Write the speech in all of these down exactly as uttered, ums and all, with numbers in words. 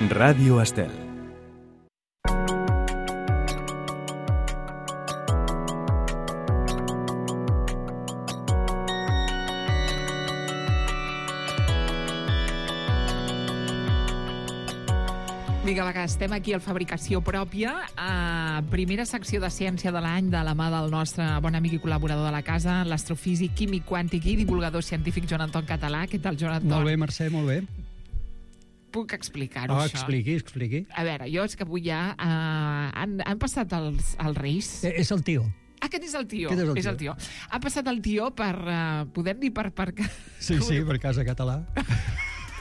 Ràdio Estel. Vinga, va, que estem aquí al Fabricació Pròpia, a primera secció de ciència de l'any de la mà del nostre bon amic i col·laborador de la casa, l'astrofísic, químic quàntic i divulgador científic Joan Anton Català. Què tal, Joan Anton? Molt bé, Mercè, molt bé. Puc explicar-ho, Oh, això? expliqui, expliqui. A veure, jo és que avui ja... Uh, han, han passat els, els Reis... Eh, és el tio. Aquest és el tio. Aquest és el és el tio. Ha passat el tio per... Uh, podem dir per... per... Sí, sí, per Casa Català.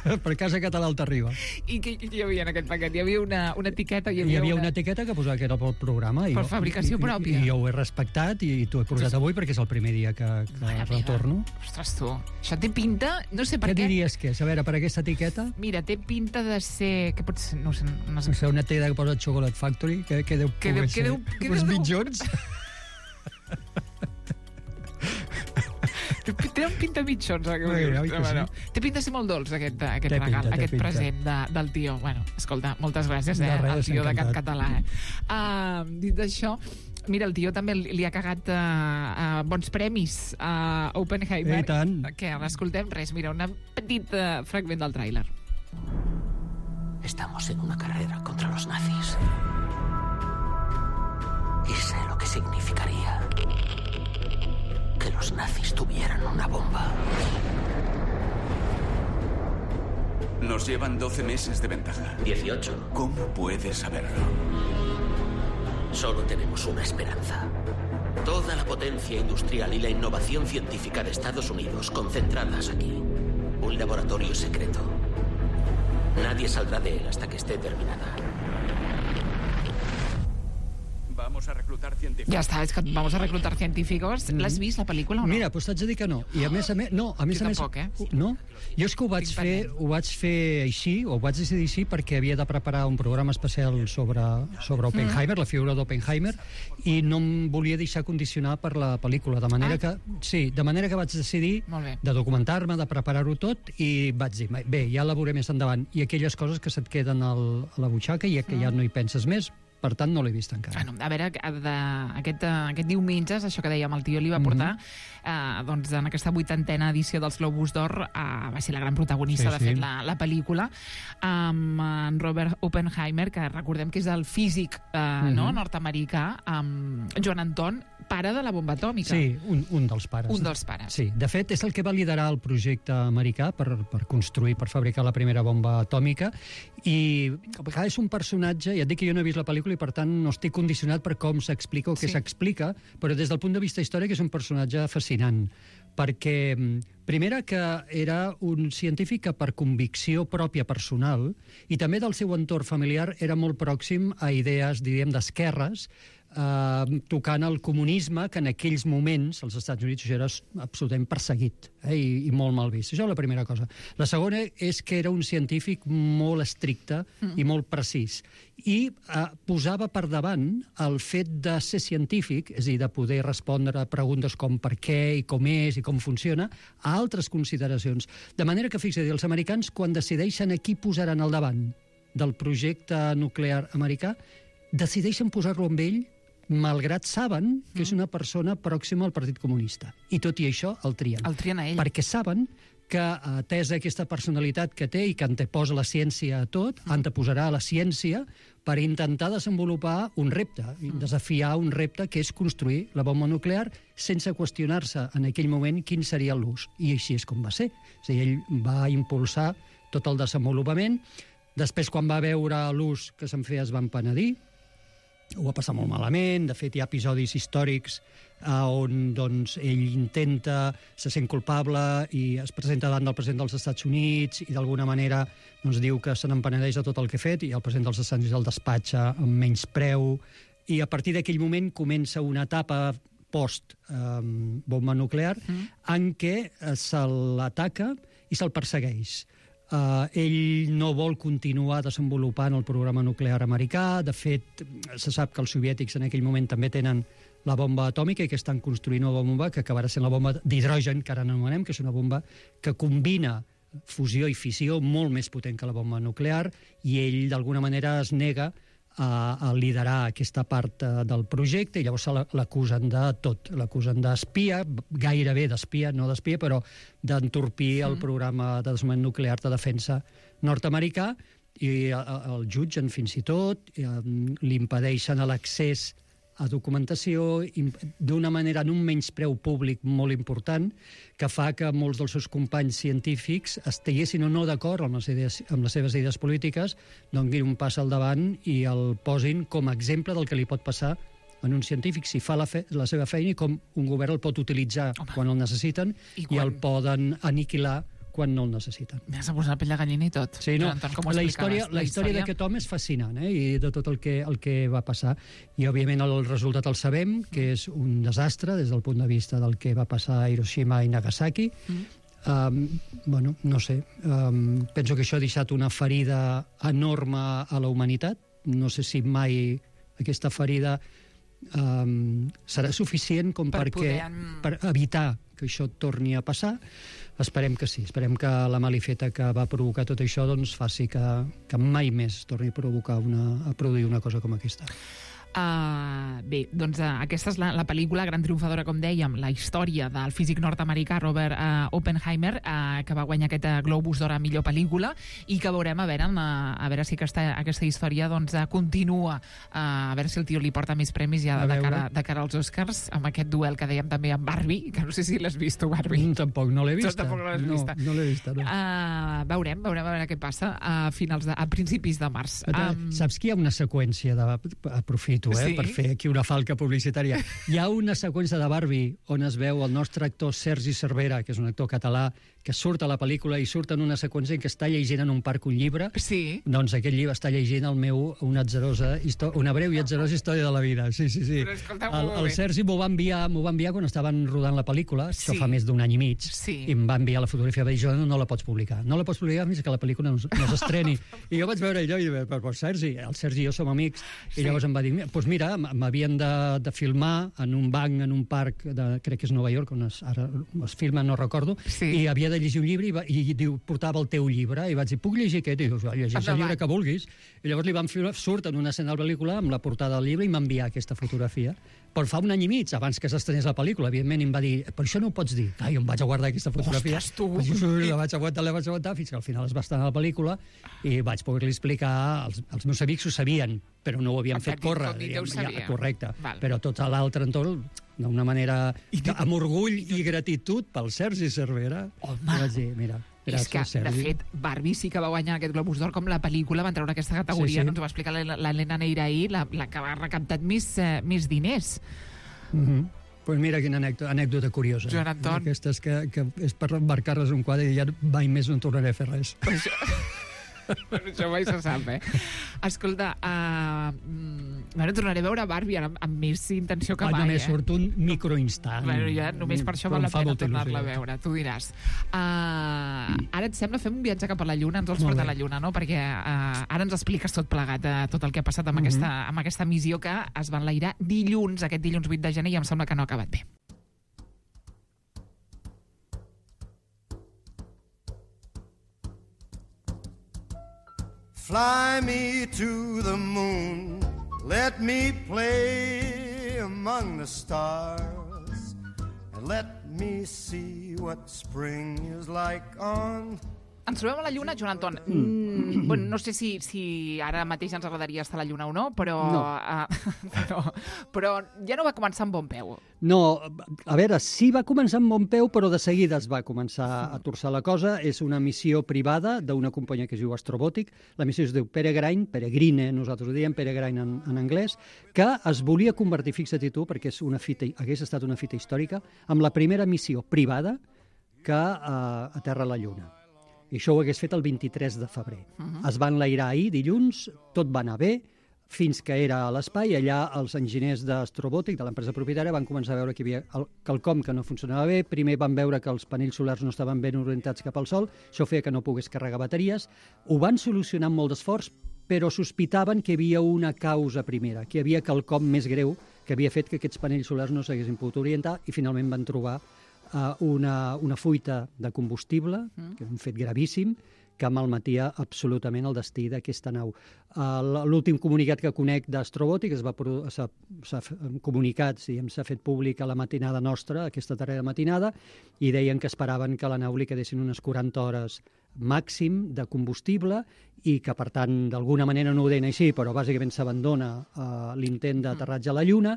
Per Casa Català al t'arriba. I què hi havia en aquest paquet? Hi havia una, una etiqueta... Hi Hi havia, havia una... una etiqueta que posava que era pel programa. i Per jo- fabricació i- i- pròpia. I jo ho he respectat i t'ho he portat avui perquè és el primer dia que, que Mare meva. retorno. Ostres, tu, això té pinta... No sé per Què què... diries que és? A veure, per aquesta etiqueta, Mira, té pinta de ser... Què pot ser? No sé, no sé. no sé, una tela que posa Chocolate Factory, que, que deu Que deu- poder que ser deu- que uns deu- mitjons. Té un pinta mitjons, eh, que ho Bé, dius. oi que Bueno, sí? té pinta de ser molt dolç, aquest, aquest Té regal, pinta, té aquest pinta. present de, del tio. Bueno, escolta, moltes gràcies, eh, De res, al tio de Can encantat. Català. Eh? Uh, dit això, mira, el tio també li ha cagat uh, uh, bons premis a Oppenheimer. I tant. Què, l'escoltem? Res, mira, un petit uh, fragment del tràiler. Estamos en una carrera contra los nazis. Y sé lo que significaría que los nazis tuvieran una bomba. Nos llevan doce meses de ventaja. dieciocho. ¿Cómo puedes saberlo? Solo tenemos una esperanza. Toda la potencia industrial y la innovación científica de Estados Unidos concentradas aquí. Un laboratorio secreto. Nadie saldrá de él hasta que esté terminada. Vamos a reclutar científicos. Ja està, és que vamos a reclutar científicos. L'has vist, la pel·lícula, o no? Mira, doncs t'haig de dir que no. I a més a més... No, a més Jo a més... tampoc, eh? No? Jo és que ho vaig, Tinc fer, pendent. ho vaig fer així, o ho vaig decidir així, perquè havia de preparar un programa especial sobre, sobre Oppenheimer, Mm. la figura d'Oppenheimer, i no em volia deixar condicionar per la pel·lícula. De manera Ah. que... Sí, de manera que vaig decidir Molt bé. de documentar-me, de preparar-ho tot, i vaig dir, bé, ja la veuré més endavant. I aquelles coses que se't queden al, a la butxaca i que ja no hi penses més, per tant, no l'he vist encara. Bueno, a veure, de, aquest, eh, aquest diumenge, això que dèiem, el tio li va portar, mm -hmm. eh, doncs en aquesta vuitantena edició dels Globus d'Or, eh, va ser la gran protagonista, Sí, de sí. fet, la, la pel·lícula, amb en Robert Oppenheimer, que recordem que és el físic eh, mm -hmm. no, nord-americà, amb Joan Anton, pare de la bomba atòmica. Sí, un, un dels pares. Un dels pares. Sí, de fet, és el que va liderar el projecte americà per, per construir, per fabricar la primera bomba atòmica, i clar, és un personatge, ja et dic que jo no he vist la pel·lícula i per tant no estic condicionat per com s'explica o què Sí. s'explica, però des del punt de vista històric és un personatge fascinant, perquè, primera, que era un científic que per convicció pròpia personal i també del seu entorn familiar era molt pròxim a idees, diríem, d'esquerres, eh, tocant el comunisme, que en aquells moments als Estats Units era absolutament perseguit, eh, i, i molt mal vist. Això és la primera cosa. La segona és que era un científic molt estricte mm. i molt precís, i eh, posava per davant el fet de ser científic, és a dir, de poder respondre a preguntes com per què i com és i com funciona, a altres consideracions. De manera que, fixa't, els americans, quan decideixen a qui posaran al davant del projecte nuclear americà, decideixen posar-lo amb ell malgrat saben que és una persona pròxima al Partit Comunista. I tot i això el trien. El trien a ell. Perquè saben que, atesa aquesta personalitat que té i que anteposa la ciència a tot, mm. anteposarà la ciència per intentar desenvolupar un repte, mm. desafiar un repte que és construir la bomba nuclear sense qüestionar-se en aquell moment quin seria l'ús. I així és com va ser. És a dir, ell va impulsar tot el desenvolupament. Després, quan va veure l'ús que se'n feia, es van penedir. Ho va passar molt malament. De fet, hi ha episodis històrics eh, on doncs, ell intenta, se sent culpable i es presenta davant del president dels Estats Units i d'alguna manera doncs, diu que se n'empenedeix de tot el que ha fet, i el president dels Estats Units el despatxa amb menys preu, i a partir d'aquell moment comença una etapa post-bomba eh, nuclear mm. en què eh, se l'ataca i se'l persegueix. Uh, ell no vol continuar desenvolupant el programa nuclear americà. De fet, se sap que els soviètics en aquell moment també tenen la bomba atòmica i que estan construint una bomba que acabarà sent la bomba d'hidrogen, que ara anomenem, que és una bomba que combina fusió i fissió molt més potent que la bomba nuclear, i ell d'alguna manera es nega a, a liderar aquesta part uh, del projecte, i llavors l'acusen de tot. L'acusen d'espia, gairebé d'espia, no d'espia, però d'entorpir el programa de desarmament nuclear de defensa nord-americà, i el jutgen fins i tot, li impedeixen l'accés a documentació d'una manera, en un menyspreu públic molt important, que fa que molts dels seus companys científics estiguessin o no d'acord amb, les idees, amb les seves idees polítiques, donguin un pas al davant i el posin com a exemple del que li pot passar en un científic si fa la, fe, la seva feina, i com un govern el pot utilitzar Home. quan el necessiten i, quan... i el poden aniquilar quan no el necessiten. M'has posat la pell de gallina i tot. Sí, no? Anton, la història, la història d'aquest home és fascinant, eh? I de tot el que, el que va passar. I, òbviament, el resultat el sabem, que és un desastre des del punt de vista del que va passar a Hiroshima i Nagasaki. Mm. Um, bueno, no sé. Um, penso que això ha deixat una ferida enorme a la humanitat. No sé si mai aquesta ferida um, serà suficient com per perquè, poder... per evitar que això torni a passar. Esperem que sí, esperem que la malifeta que va provocar tot això doncs faci que, que mai més torni a provocar una, a produir una cosa com aquesta. Uh, bé, doncs uh, aquesta és la, la pel·lícula gran triomfadora, com dèiem, la història del físic nord-americà Robert uh, Oppenheimer, uh, que va guanyar aquest uh, Globus d'Or a millor pel·lícula, i que veurem a veure, uh, a veure si aquesta, aquesta història doncs, uh, continua, uh, a veure si el tio li porta més premis ja de cara, de cara als Oscars, amb aquest duel que dèiem també amb Barbie, que no sé si l'has vist tu, Barbie. Mm, tampoc, no l'he vista. Tu tampoc no l'has no, vista. No l'he vista, no. Uh, veurem, veurem a veure què passa a, finals de, a principis de març. Um... Saps que hi ha una seqüència de... Aprofito, eh, sí? per fer aquí una falca publicitària. Hi ha una seqüència de Barbie on es veu el nostre actor Sergi Cervera, que és un actor català, que surt a la pel·lícula i surt en una seqüència en què està llegint en un parc un llibre. Sí. Doncs aquest llibre està llegint el meu una, atzerosa, una breu i atzerosa història de la vida. Sí, sí, sí. Però escolta, el, el Sergi m'ho va enviar, m'ho va enviar quan estaven rodant la pel·lícula, sí. Això fa més d'un any i mig, sí. I em va enviar la fotografia, va dir, jo no, no la pots publicar. No la pots publicar fins que la pel·lícula no, no s'estreni. I jo vaig veure allò i vaig dir, però Sergi, el Sergi i jo som amics, i sí. Llavors em va dir, doncs mira, m'havien de, de filmar en un banc, en un parc, de, crec que és Nova York, on es, ara es filma, no recordo, sí. I havia de llegir un llibre i, va, i diu, portava el teu llibre, i vaig dir, puc llegir aquest? I diu, llegeix el llibre que vulguis. I llavors li van fer, surt en una escena de la pel·lícula amb la portada del llibre i m'enviar aquesta fotografia. Però fa un any i mig, abans que s'estrenés la pel·lícula, evidentment em va dir, per això no ho pots dir. Ah, jo em vaig a guardar aquesta fotografia. Ostres, tu! Pues jo la vaig aguantar, la vaig aguantar, fins que al final es va estrenar la pel·lícula i vaig poder-li explicar, els, els meus amics ho sabien, però no ho havien fet córrer. Ja, correcte. Val. Però tot l'altre entorn, d'una manera, amb orgull i gratitud pel Sergi Cervera. Home! Vaig dir, mira, gràcies, és que, Sergi. de fet, Barbie sí que va guanyar aquest Globus d'Or, com la pel·lícula van treure aquesta categoria, sí, sí. No ens ho va explicar l'Helena Neira ahir, la, la que va recaptat més, eh, més diners. Mhm. Pues mira quina anècdota, anècdota curiosa. Joan Anton. Aquestes que, que és per embarcar-les un quadre i ja mai més no tornaré a fer res. Això, això mai se sap, eh? Escolta, uh, bueno, tornaré a veure Barbie ara amb, amb més intenció que ah, mai, només eh? surt un microinstant. Bueno, ja només per això val la pena tornar-la a veure, tu diràs. Uh, ara et sembla fem un viatge cap a la Lluna, ens vols portar a la Lluna, no? Perquè uh, ara ens expliques tot plegat, uh, tot el que ha passat amb, mm-hmm. aquesta, amb aquesta missió que es va enlairar dilluns, aquest dilluns vuit de gener, i em sembla que no ha acabat bé. Fly me to the moon, let me play among the stars, and let me see what spring is like on... Ens trobem a la Lluna, Joan Anton. Mm, bueno, no sé si, si ara mateix ens agradaria estar a la Lluna o no, però, no. Uh, però, però ja no va començar amb bon peu. No, a veure, sí va començar amb bon peu, però de seguida es va començar a torçar la cosa. És una missió privada d'una companyia que es diu Astrobotic. La missió es diu Peregrine, Peregrine, nosaltres ho diem, Peregrine en, en anglès, que es volia convertir, fixa't tu, perquè és una fita, hagués estat una fita històrica, amb la primera missió privada que uh, aterra a la Lluna. I això ho hagués fet el vint-i-tres de febrer. Uh-huh. Es va enlairar ahir, dilluns, tot va anar bé, fins que era a l'espai. Allà els enginyers d'Astrobòtic, de l'empresa propietària, van començar a veure que hi havia quelcom que no funcionava bé. Primer van veure que els panells solars no estaven ben orientats cap al Sol, això feia que no pogués carregar bateries. Ho van solucionar amb molt d'esforç, però sospitaven que hi havia una causa primera, que hi havia quelcom més greu que havia fet que aquests panells solars no s'haguessin pogut orientar, i finalment van trobar uh, una, una fuita de combustible, mm. que és un fet gravíssim, que malmetia absolutament el destí d'aquesta nau. Uh, L'últim comunicat que conec d'Astrobòtic s'ha comunicat, s'ha fet públic a la matinada nostra, aquesta darrera matinada, i deien que esperaven que a la nau li quedessin unes quaranta hores màxim de combustible i que, per tant, d'alguna manera no ho deien així, però bàsicament s'abandona uh, l'intent d'aterratge a la Lluna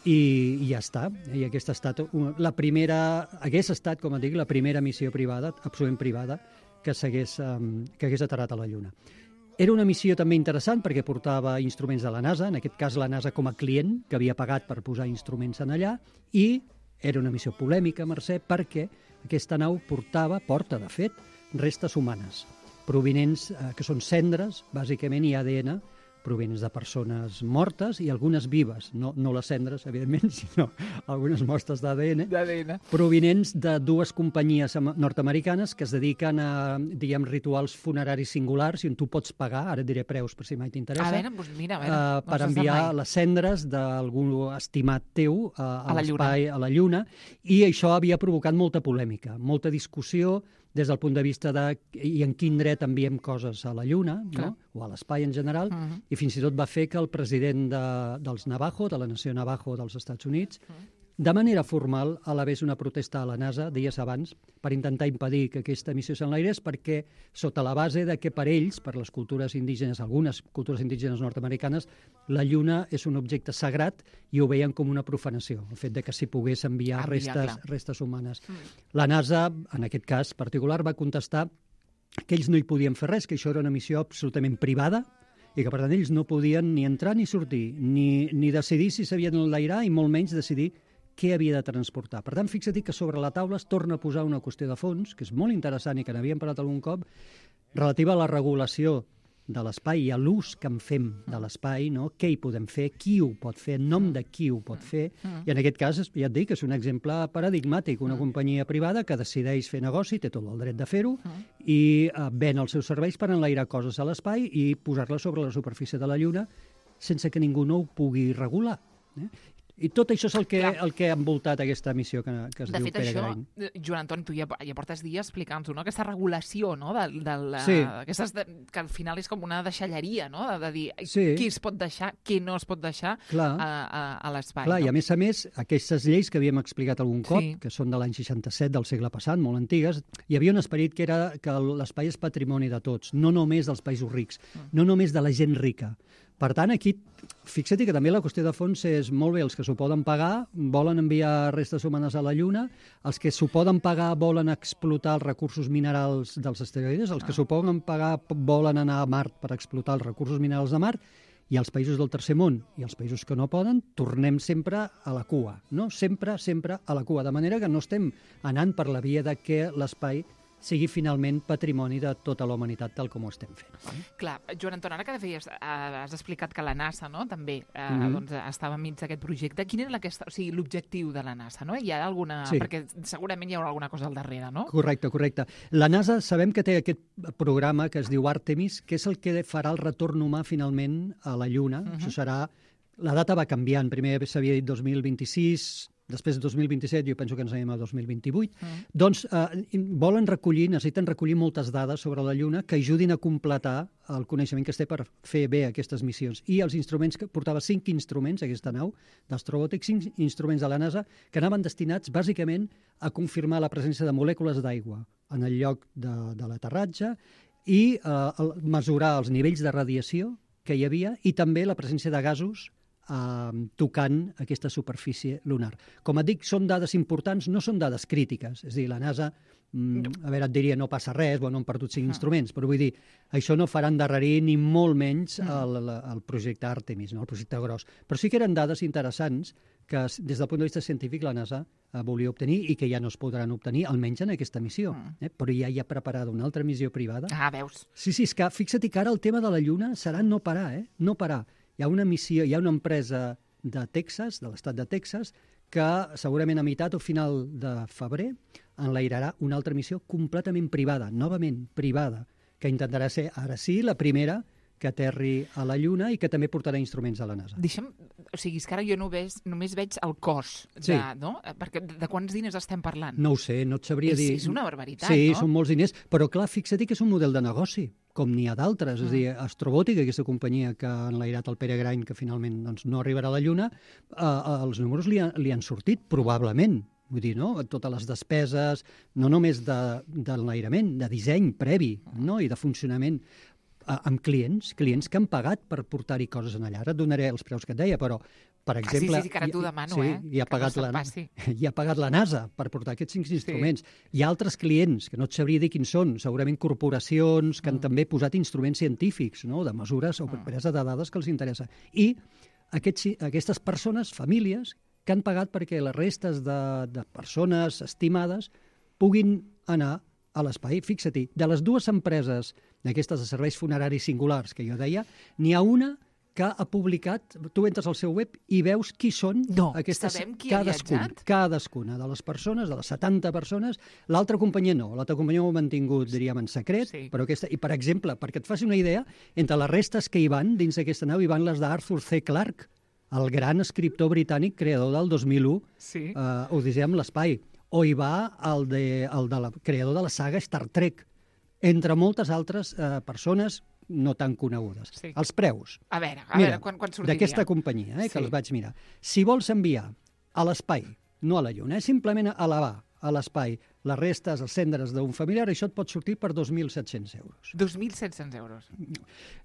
i, i ja està. I aquesta ha estat una, la primera, hagués estat, com et dic, la primera missió privada, absolutament privada, que s'hagués um, que hagués aterrat a la Lluna. Era una missió també interessant perquè portava instruments de la NASA, en aquest cas la NASA com a client, que havia pagat per posar instruments en allà, i era una missió polèmica, Mercè, perquè aquesta nau portava, porta, de fet, restes humanes, provinents, eh, que són cendres, bàsicament, i A D N, provinents de persones mortes i algunes vives, no, no les cendres, evidentment, sinó algunes mostres d'A D N, d'A D N, provinents de dues companyies nord-americanes que es dediquen a, diguem, rituals funeraris singulars i on tu pots pagar, ara et diré preus per si mai t'interessa, a veure, doncs mira, a veure, uh, per enviar les cendres d'algun estimat teu uh, a, a l'espai, a la Lluna, i això havia provocat molta polèmica, molta discussió des del punt de vista de i en quin dret enviem coses a la Lluna, no? O a l'espai en general, uh -huh. i fins i tot va fer que el president de, dels Navajo, de la nació Navajo dels Estats Units, uh -huh. de manera formal elevés una protesta a la NASA dies abans per intentar impedir que aquesta missió s'enlairés, perquè sota la base de que per ells, per les cultures indígenes, algunes cultures indígenes nord-americanes, la Lluna és un objecte sagrat i ho veien com una profanació, el fet de que s'hi pogués enviar, enviar restes, restes humanes. Mm. La NASA, en aquest cas particular, va contestar que ells no hi podien fer res, que això era una missió absolutament privada i que, per tant, ells no podien ni entrar ni sortir, ni, ni decidir si s'havien d'enlairar i molt menys decidir què havia de transportar. Per tant, fixa't que sobre la taula es torna a posar una qüestió de fons, que és molt interessant i que n'havíem parlat algun cop, relativa a la regulació de l'espai i a l'ús que en fem de l'espai, no? Què hi podem fer, qui ho pot fer, en nom de qui ho pot fer, i en aquest cas, ja et dic, és un exemple paradigmàtic, una companyia privada que decideix fer negoci, té tot el dret de fer-ho, i uh, ven els seus serveis per enlairar coses a l'espai i posar-les sobre la superfície de la Lluna sense que ningú no ho pugui regular. Eh? I tot això és el que, el que ha envoltat aquesta missió que, que es de diu fet, Peregrine. De fet, això, Joan Anton, tu ja, ja portes dies explicant-ho, no? Aquesta regulació, no? De, de la, sí. aquestes de, que al final és com una deixalleria, no? De, de dir sí. qui es pot deixar, qui no es pot deixar a, a, a l'espai. Clar, no? I a més a més, aquestes lleis que havíem explicat algun cop, sí. que són de l'any seixanta-set del segle passat, molt antigues, hi havia un esperit que era que l'espai és patrimoni de tots, no només dels països rics, mm. no només de la gent rica. Per tant, aquí, fixa't que també la qüestió de fons és molt bé, els que s'ho poden pagar volen enviar restes humanes a la Lluna, els que s'ho poden pagar volen explotar els recursos minerals dels asteroides, els que s'ho poden pagar volen anar a Mart per explotar els recursos minerals de Mart, i els països del tercer món i els països que no poden, tornem sempre a la cua, no? Sempre, sempre a la cua, de manera que no estem anant per la via de que l'espai sigui finalment patrimoni de tota la humanitat tal com ho estem fent. Clar, Joan Anton, ara que feies, has explicat que la NASA, no?, també eh, mm-hmm. doncs, estava enmig d'aquest projecte. Quin era o sigui, l'objectiu de la NASA? No? Hi ha alguna... Sí. Perquè segurament hi haurà alguna cosa al darrere, no? Correcte, correcte. La NASA sabem que té aquest programa que es diu Artemis, que és el que farà el retorn humà finalment a la Lluna. Mm-hmm. Això serà... La data va canviant. Primer s'havia dit dos mil vint-i-sis... Després de dos mil vint-i-set, jo penso que ens anem a dos mil vint-i-vuit, mm. doncs eh, volen recollir, necessiten recollir moltes dades sobre la Lluna que ajudin a completar el coneixement que es té per fer bé aquestes missions. I els instruments, que portava cinc instruments, aquesta nau d'Astrobòtic, cinc instruments de la NASA, que anaven destinats bàsicament a confirmar la presència de molècules d'aigua en el lloc de, de l'aterratge i eh, mesurar els nivells de radiació que hi havia i també la presència de gasos Uh, tocant aquesta superfície lunar. Com et dic, són dades importants, no són dades crítiques. És a dir, la NASA, mm, a veure, et diria, no passa res, bueno, han perdut cinc ah. instruments, però vull dir, això no farà endarrerir ni molt menys el, el, el projecte Artemis, no? El projecte gros. Però sí que eren dades interessants que, des del punt de vista científic, la NASA uh, volia obtenir i que ja no es podran obtenir, almenys en aquesta missió. Mm. Eh? Però ja hi ha preparada una altra missió privada. Ah, veus? Sí, sí, és que fixa't que ara el tema de la Lluna serà no parar, eh? No parar. Hi ha una missió, hi ha una empresa de Texas, de l'estat de Texas, que segurament a meitat o final de febrer enlairarà una altra missió completament privada, novament privada, que intentarà ser, ara sí, la primera que aterri a la Lluna i que també portarà instruments a la NASA. Deixa'm, o sigui, és que ara jo no ves, només veig el cost, de, Sí. no? Perquè de, de quants diners estem parlant? No ho sé, no et sabria és, dir... És una barbaritat, sí, no? són molts diners, però clar, fixa't que és un model de negoci, com n'hi ha d'altres. Mm. És a dir, Astrobòtica, aquesta companyia que ha enlairat el Peregrine, que finalment doncs, no arribarà a la Lluna, eh, els números li, ha, li han sortit, probablement. Vull dir, no? Totes les despeses, no només de, de l'enlairament, de disseny previ, no? I de funcionament, amb clients, clients que han pagat per portar-hi coses en allà. Ara et donaré els preus que et deia, però, per exemple... Ah, sí, sí, sí, que ara t'ho demano, sí, eh? I ha, pagat no la, i ha pagat la NASA per portar aquests cinc instruments. Sí. Hi ha altres clients, que no et sabria dir quins són, segurament corporacions que han mm. també posat instruments científics, no? De mesures o presa de dades que els interessa. I aquests, aquestes persones, famílies, que han pagat perquè les restes de, de persones estimades puguin anar a l'espai. Fixa-t'hi, de les dues empreses d'aquestes de serveis funeraris singulars que jo deia, n'hi ha una que ha publicat, tu entres al seu web i veus qui són no, aquestes, sabem qui ha viatjat? Cadascuna de les persones, de les setanta persones, l'altra companyia no, l'altra companyia ho ha mantingut, diríem, en secret, sí. Però aquesta, i per exemple, perquè et faci una idea, entre les restes que hi van, dins d'aquesta nau, hi van les d'Arthur C. Clarke, el gran escriptor britànic creador del dos mil u, sí. uh, Odissea amb l'espai, o hi va el de, el de la, creador de la saga Star Trek, entre moltes altres eh, persones no tan conegudes. Sí. Els preus. A veure, a Mira, veure quan, quan sortiria. D'aquesta companyia, eh, que sí. els vaig mirar. Si vols enviar a l'espai, no a la Lluna, eh, simplement a elevar a l'espai les restes, els cendres d'un familiar, això et pot sortir per dos mil set-cents euros. dos mil set-cents euros.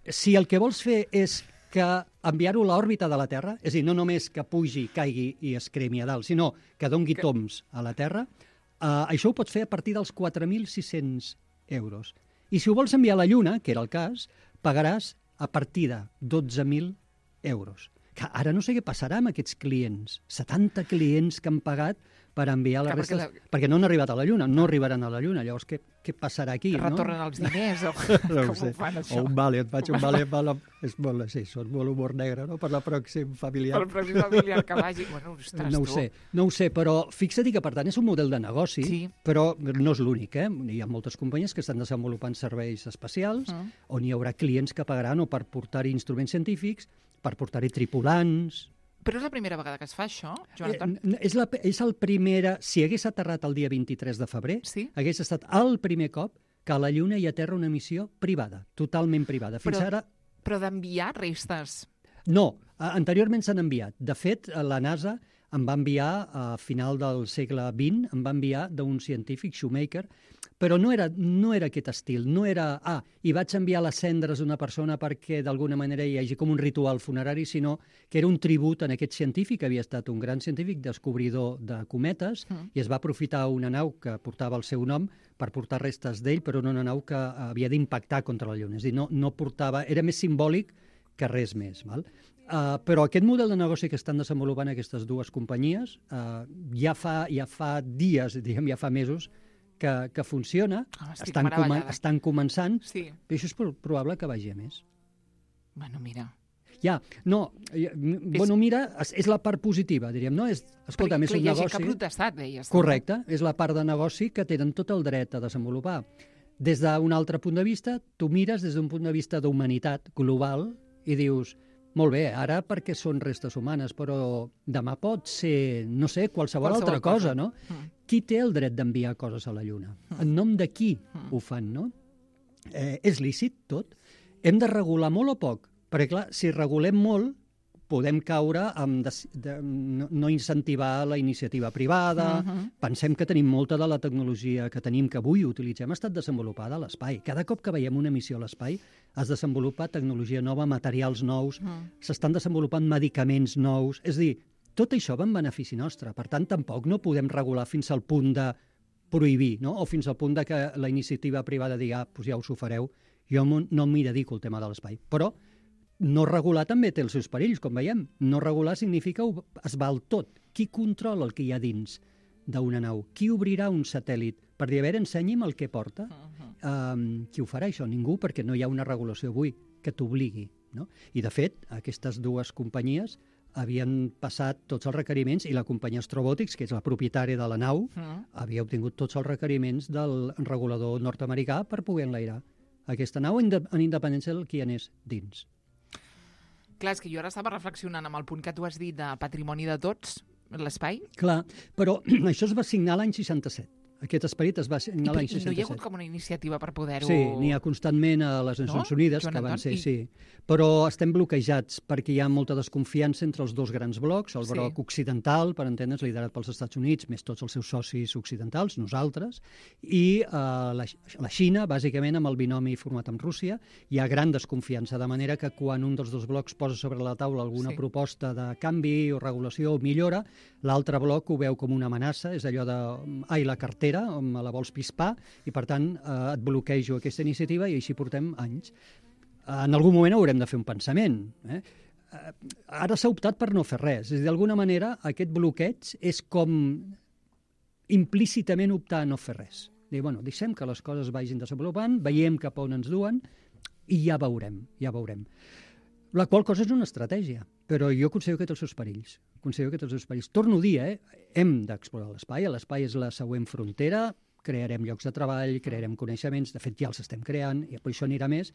Si el que vols fer és que enviar-ho a l'òrbita de la Terra, és a dir, no només que pugi, caigui i es cremi a dalt, sinó que dongui que... tombs a la Terra, eh, això ho pots fer a partir dels quatre mil sis-cents euros. I si ho vols enviar a la Lluna, que era el cas, pagaràs a partir de dotze mil euros. Que ara no sé què passarà amb aquests clients. setanta clients que han pagat per enviar les restes, perquè, la... perquè no han arribat a la Lluna, no arribaran a la Lluna. Llavors, què, què passarà aquí? Que retornen no? els diners o no com ho fan, això? O un vale, et faig un vale. vale és molt, sí, són molt humor negre, no?, per la pròxim familiar. Per el pròxim familiar que vagi. Bueno, ostres, no ho tu. sé, no ho sé, però fixa't que, per tant, és un model de negoci, sí. Però no és l'únic, eh? Hi ha moltes companyies que estan desenvolupant serveis espacials, mm. on hi haurà clients que pagaran o per portar-hi instruments científics, per portar-hi tripulants... Però és la primera vegada que es fa, això, Joan Anton? Eh, és, la, és el primera... Si hagués aterrat el dia vint-i-tres de febrer, sí? Hagués estat el primer cop que a la Lluna hi aterra una missió privada, totalment privada. Fins però, ara... Però d'enviar restes? No, anteriorment s'han enviat. De fet, la NASA em va enviar, a final del segle vint, em va enviar d'un científic, Shoemaker, però no era, no era aquest estil, no era, ah, i vaig enviar les cendres d'una persona perquè d'alguna manera hi hagi com un ritual funerari, sinó que era un tribut en aquest científic, que havia estat un gran científic descobridor de cometes, mm. i es va aprofitar una nau que portava el seu nom per portar restes d'ell, però una nau que havia d'impactar contra la Lluna. És a dir, no, no portava, era més simbòlic que res més. Val? Uh, però aquest model de negoci que estan desenvolupant aquestes dues companyies uh, ja, fa, ja fa dies, diguem, ja fa mesos, que, que funciona, oh, estan, com, estan començant, sí. I això és probable que vagi a més. Bueno, mira... Ja, no, és... bueno, mira, és, és la part positiva, diríem, no? És, escolta, perquè, és un negoci... Hi ha negoci... gent que ha protestat, deies. Correcte, no? És la part de negoci que tenen tot el dret a desenvolupar. Des d'un altre punt de vista, tu mires des d'un punt de vista d'humanitat global i dius, molt bé, ara perquè són restes humanes, però demà pot ser, no sé, qualsevol, qualsevol altra cosa, cosa no? Mm. Qui té el dret d'enviar coses a la Lluna? Mm. En nom de qui mm. ho fan, no? Eh, és lícit tot? Hem de regular molt o poc? Perquè, clar, si regulem molt, podem caure amb de, de, no, no incentivar la iniciativa privada. Uh-huh. Pensem que tenim molta de la tecnologia que tenim, que avui utilitzem, ha estat desenvolupada a l'espai. Cada cop que veiem una missió a l'espai es desenvolupa tecnologia nova, materials nous, uh-huh. s'estan desenvolupant medicaments nous. És a dir, tot això va en benefici nostre. Per tant, tampoc no podem regular fins al punt de prohibir, no? O fins al punt de que la iniciativa privada digui, ah, doncs ja us ho fareu, jo no m'hi dedico al tema de l'espai. Però no regular també té els seus perills, com veiem. No regular significa es val tot. Qui controla el que hi ha dins d'una nau? Qui obrirà un satèl·lit? Per dir, a veure, ensenyi'm el que porta. Uh-huh. Um, qui ho farà, això? Ningú, perquè no hi ha una regulació avui que t'obligui, no? I, de fet, aquestes dues companyies havien passat tots els requeriments i la companyia Astrobotics, que és la propietària de la nau, uh-huh. havia obtingut tots els requeriments del regulador nord-americà per poder enlairar aquesta nau en independència del qui anés dins. Clar, és que jo ara estava reflexionant amb el punt que tu has dit de patrimoni de tots, l'espai. Clar, però això es va signar l'any seixanta-set. Aquest esperit es va signar l'any seixanta-set. I no hi ha hagut com una iniciativa per poder-ho... Sí, n'hi ha constantment a les Nacions no? Unides, Joan que van ser, I... sí. Però estem bloquejats perquè hi ha molta desconfiança entre els dos grans blocs, el bloc sí. occidental, per entendre's, liderat pels Estats Units, més tots els seus socis occidentals, nosaltres, i eh, la, la Xina, bàsicament amb el binomi format amb Rússia. Hi ha gran desconfiança, de manera que quan un dels dos blocs posa sobre la taula alguna sí. proposta de canvi o regulació o millora, l'altre bloc ho veu com una amenaça, és allò de, ai, la cartera, me la vols pispar, i per tant eh, et bloquejo aquesta iniciativa i així portem anys. En algun moment haurem de fer un pensament. Eh? Ara s'ha optat per no fer res. És a dir, d'alguna manera, aquest bloqueig és com implícitament optar a no fer res. Dir, bueno, deixem que les coses vagin desenvolupant, veiem cap a on ens duen i ja veurem, ja veurem. La qual cosa és una estratègia, però jo considero que té els seus perills. Considero que té els seus perills. Torno a dir, eh? Hem d'explorar l'espai, l'espai és la següent frontera, crearem llocs de treball, crearem coneixements, de fet ja els estem creant, i per això anirà més,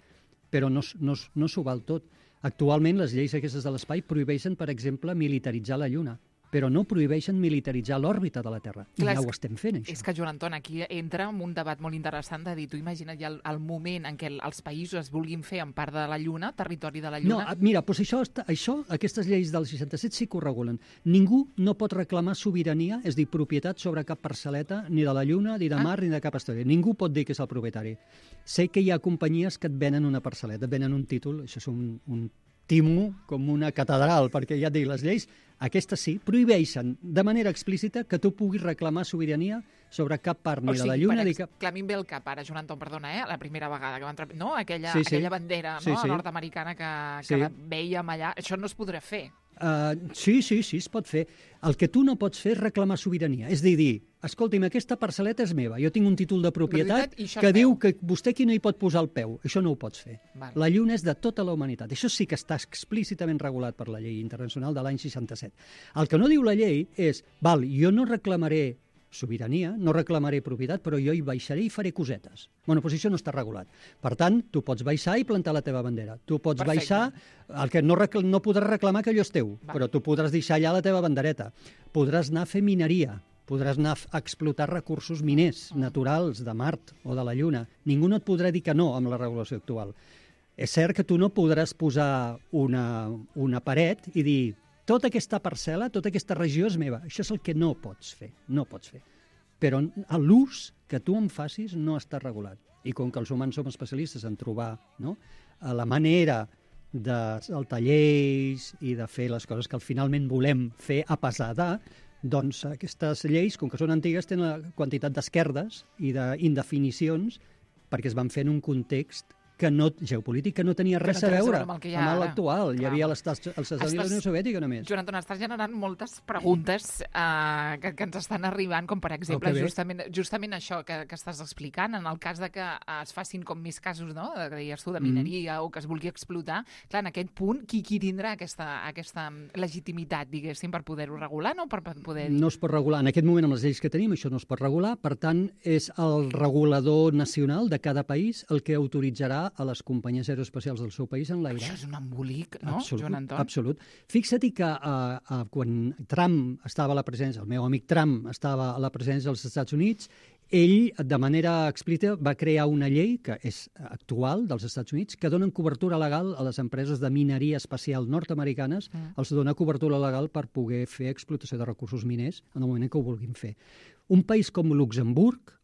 però no, no, no s'ho val tot. Actualment les lleis aquestes de l'espai prohibeixen, per exemple, militaritzar la Lluna, però no prohibeixen militaritzar l'òrbita de la Terra. I Clar, ja ho estem fent, això. És que, Joan Anton, aquí entra en un debat molt interessant de dir, tu imagina't ja el, el moment en què els països es vulguin fer en part de la Lluna, territori de la Lluna... No, mira, doncs això, això, aquestes lleis del seixanta-set sí que ho regulen. Ningú no pot reclamar sobirania, és dir, propietat sobre cap parcel·leta, ni de la Lluna, ni de mar, ah. ni de cap història. Ningú pot dir que és el propietari. Sé que hi ha companyies que et venen una parcel·leta, et venen un títol, això és un, un timo com una catedral, perquè ja et dic, les lleis, aquestes sí, prohibeixen de manera explícita que tu puguis reclamar sobirania sobre cap part ni o sigui, de la Lluna... O sigui, cap... clar, a mi em ve el cap ara, Joan Anton, perdona, eh? La primera vegada que van... No? Aquella, sí, sí. aquella bandera sí, no? sí. nord-americana que, que sí. la veiem allà. Això no es podrà fer. Uh, sí, sí, sí, es pot fer. El que tu no pots fer és reclamar sobirania. És dir, dir, escolti'm, aquesta parcel·leta és meva, jo tinc un títol de propietat que diu que vostè aquí no hi pot posar el peu. Això no ho pots fer. Val. La Lluna és de tota la humanitat. Això sí que està explícitament regulat per la llei internacional de l'any seixanta-set. El que no diu la llei és, val, jo no reclamaré sobirania, no reclamaré propietat, però jo hi baixaré i faré cosetes. Bueno, doncs això no està regulat. Per tant, tu pots baixar i plantar la teva bandera. Tu pots Perfecte. baixar, el que no, recl no podràs reclamar que allò és teu, Va. però tu podràs deixar allà la teva bandereta. Podràs anar a fer mineria, podràs anar a explotar recursos miners naturals de Mart o de la Lluna. Ningú no et podrà dir que no amb la regulació actual. És cert que tu no podràs posar una, una paret i dir tota aquesta parcel·la, tota aquesta regió és meva. Això és el que no pots fer, no pots fer. Però l'ús que tu en facis no està regulat. I com que els humans som especialistes en trobar no, la manera de saltar lleis i de fer les coses que finalment volem fer a pesar de, doncs aquestes lleis, com que són antigues, tenen una quantitat d'esquerdes i d'indefinicions perquè es van fer en un context que no, geopolític que no tenia res no a veure amb, amb l'actual. Hi havia l'estat els Estats Units de la Unió Soviètica només. Joan Anton, estàs generant moltes preguntes eh, que, que ens estan arribant, com per exemple justament, justament això que, que estàs explicant, en el cas de que es facin com més casos, no?, de, que deies tu, de mineria mm. o que es vulgui explotar, clar, en aquest punt, qui, qui tindrà aquesta, aquesta legitimitat, diguéssim, per poder-ho regular, no? Per poder dir... No es pot regular. En aquest moment, amb les lleis que tenim, això no es pot regular. Per tant, és el regulador nacional de cada país el que autoritzarà a les companyies aeroespacials del seu país en l'aire. Això és un embolic, no, absolut, Joan Anton? Absolut. Fixa't que uh, uh, quan Trump estava a la presidència, el meu amic Trump estava a la presidència dels Estats Units, ell, de manera explícita, va crear una llei que és actual dels Estats Units que donen cobertura legal a les empreses de mineria espacial nord-americanes, mm. els dona cobertura legal per poder fer explotació de recursos miners en el moment que ho vulguin fer. Un país com Luxemburg,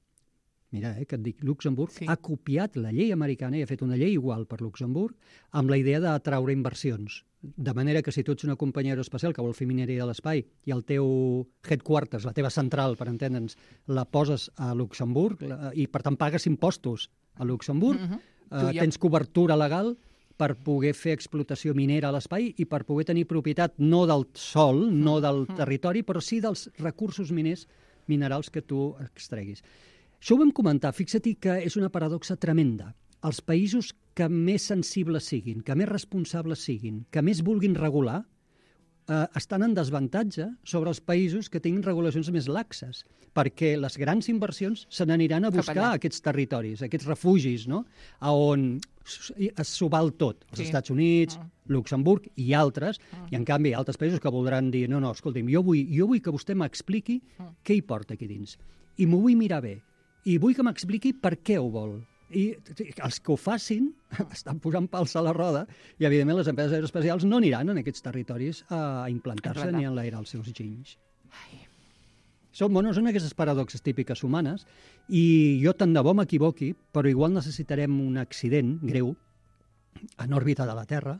mira, eh, que et dic, Luxemburg sí. ha copiat la llei americana i ha fet una llei igual per Luxemburg amb la idea d'atraure inversions. De manera que si tu ets una companyia aeroespacial que vol fer mineria a l'espai i el teu headquarters, la teva central, per entendre'ns, la poses a Luxemburg la, i per tant pagues impostos a Luxemburg, mm-hmm. eh, ja... tens cobertura legal per poder fer explotació minera a l'espai i per poder tenir propietat no del sòl, mm-hmm. no del territori, però sí dels recursos miners minerals que tu extreguis. Això ho vam comentar, fixa't que és una paradoxa tremenda. Els països que més sensibles siguin, que més responsables siguin, que més vulguin regular, eh, estan en desavantatge sobre els països que tinguin regulacions més laxes, perquè les grans inversions se n'aniran a buscar aquests territoris, aquests refugis, no? A on s'ho val tot, els sí. Estats Units, mm. Luxemburg i altres, mm. i en canvi altres països que voldran dir no, no, escolti'm, jo vull, jo vull que vostè m'expliqui mm. què hi porta aquí dins, i m'ho vull mirar bé, i vull que m'expliqui per què ho vol. I els que ho facin estan posant pals a la roda i, evidentment, les empreses aeroespacials no aniran en aquests territoris a implantar-se ni a enlairar els seus ginys. Són, bueno, són aquestes paradoxes típiques humanes i jo tant de bo m'equivoqui, però igual necessitarem un accident greu en òrbita de la Terra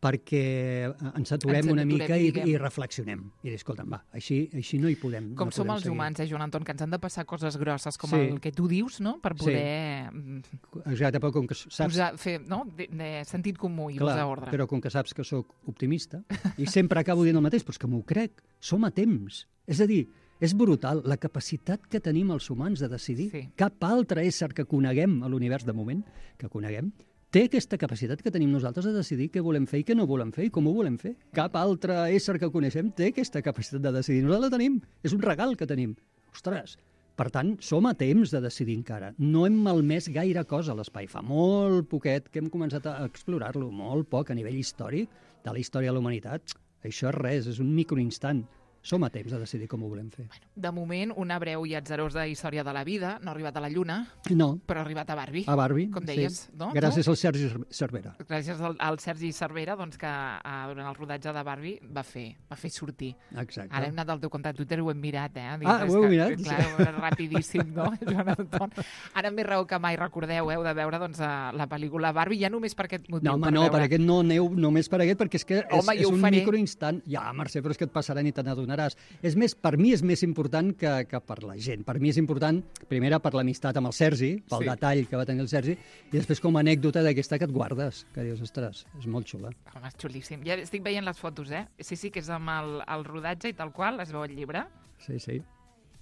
perquè ens aturem ens una mica i, i reflexionem. I dir, escolta'm, va, així, així no hi podem. Com no som podem els seguir. humans, eh, Joan Anton, que ens han de passar coses grosses com sí. el que tu dius, no?, per poder... Sí. Exacte, però com que saps... Posar, fer, no?, de, de sentit comú i Clar, posar ordre. Però com que saps que sóc optimista, i sempre acabo dient el mateix, però és que m'ho crec, som a temps. És a dir, és brutal la capacitat que tenim els humans de decidir. Sí. Cap altre ésser que coneguem a l'univers de moment, que coneguem, té aquesta capacitat que tenim nosaltres de decidir què volem fer i què no volem fer i com ho volem fer. Cap altre ésser que coneixem té aquesta capacitat de decidir. Nosaltres la tenim. És un regal que tenim. Ostres, per tant, som a temps de decidir encara. No hem malmès gaire cosa a l'espai. Fa molt poquet que hem començat a explorar-lo, molt poc a nivell històric de la història de la humanitat. Això és res, és un microinstant. Som a temps de decidir com ho volem fer. Bueno, de moment, una breu i atzarosa història de la vida. No ha arribat a la Lluna, no. però ha arribat a Barbie. A Barbie, com deies, sí. No? Gràcies no? al Sergi Cervera. Gràcies al, al Sergi Cervera, doncs, que a, durant el rodatge de Barbie va fer, va fer sortir. Exacte. Ara hem anat al teu compte de Twitter i ho hem mirat, eh? Dic, ah, ho heu mirat? Clar, sí. Rapidíssim, no? Joan Anton. Ara més raó que mai, recordeu, heu de veure doncs, la pel·lícula Barbie, ja només per aquest motiu. No, home, per no, veure... per aquest no aneu només per aquest, perquè és que home, és, és un faré. microinstant. Ja, Mercè, però és que et passarà ni te n'adonaràs. És més, per mi és més important que, que per la gent. Per mi és important, primera, per l'amistat amb el Sergi, pel sí. detall que va tenir el Sergi, i després com a anècdota d'aquesta que et guardes, que dius, ostres, és molt xula. Home, és xulíssim. Ja estic veient les fotos, eh? Sí, sí, que és amb el, el rodatge i tal qual, es veu el llibre. Sí, sí.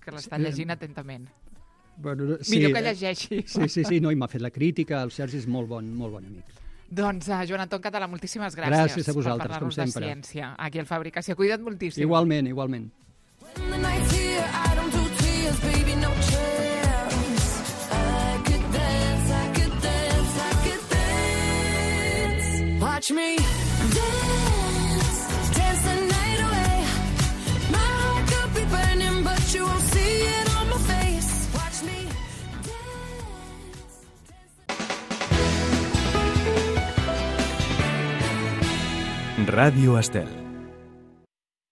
Que l'està llegint atentament. Bueno, sí, millor que llegeixi. Sí, sí, sí, no, i m'ha fet la crítica, el Sergi és molt bon, molt bon amic. Doncs, uh, Joan Anton Català, moltíssimes gràcies, gràcies a vosaltres, per parlar-nos de ciència aquí al Fabricació. Cuida't moltíssim. Igualment, igualment. When the night's here, I don't do tears, baby, no chance. I could dance, I could dance, I could dance. Watch me dance, dance the night away. My heart could be burning, but you won't see it on my face. Watch me dance. Ràdio Estel.